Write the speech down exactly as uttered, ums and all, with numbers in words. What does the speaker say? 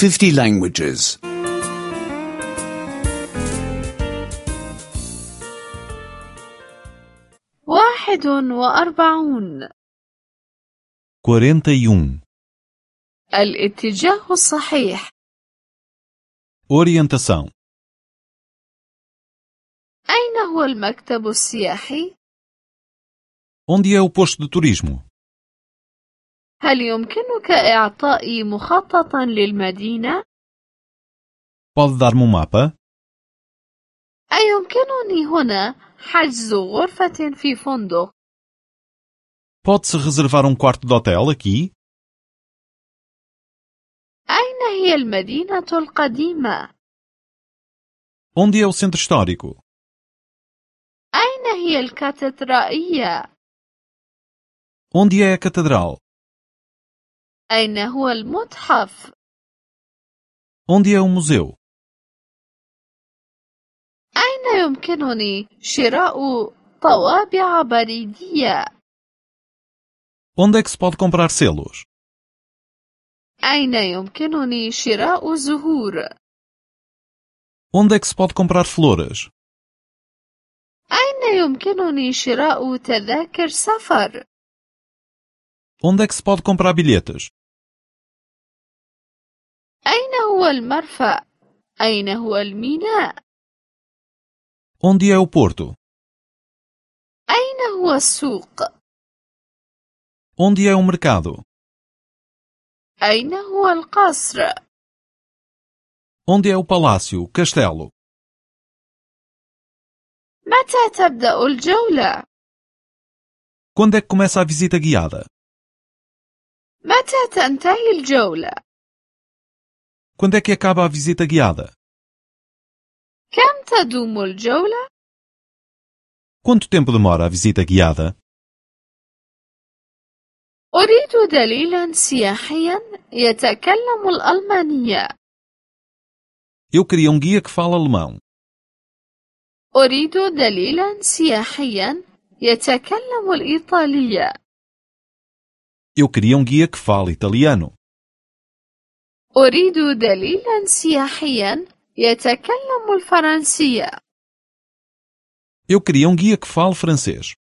fifty languages. واحد وأربعون. quarenta e um. الاتجاه الصحيح. Orientação. أين هو المكتب السياحي؟ Onde é o posto de turismo? هل يمكنك إعطائي مخططا للمدينة؟ Pode dar-me um mapa? أيمكنني هنا حجز غرفة في فندق؟ Pode-se reservar um quarto de hotel aqui? أين هي المدينة القديمة؟ Onde é o centro histórico? أين هي الكاتدرائية؟ Onde é a catedral? أين هو المتحف؟ Onde é o museu? أين يمكنني شراء طوابع بريدية؟ Onde é que se pode comprar selos? أين يمكنني شراء زهور؟ Onde é que se pode comprar flores? أين يمكنني شراء تذاكر سفر؟ Onde é que se pode comprar bilhetes? أين هو المرفأ؟ أين هو الميناء؟ Onde é o porto? أين هو السوق؟ Onde é o mercado? أين هو القصر؟ Onde é o palácio, castelo? متى تبدأ الجولة؟ Quando é que começa a visita guiada? متى تنتهي الجولة؟ Quando é que acaba a visita guiada? كم تدوم الجولة؟ Quanto tempo demora a visita guiada? أريد دليلا سياحيا يتكلم الألمانية. Eu queria um guia que fala alemão. أريد دليلا سياحيا يتكلم الإيطالية. Eu queria um guia que fala italiano. أريد دليلا سياحيا يتكلم الفرنسية. Eu queria um guia que fale francês.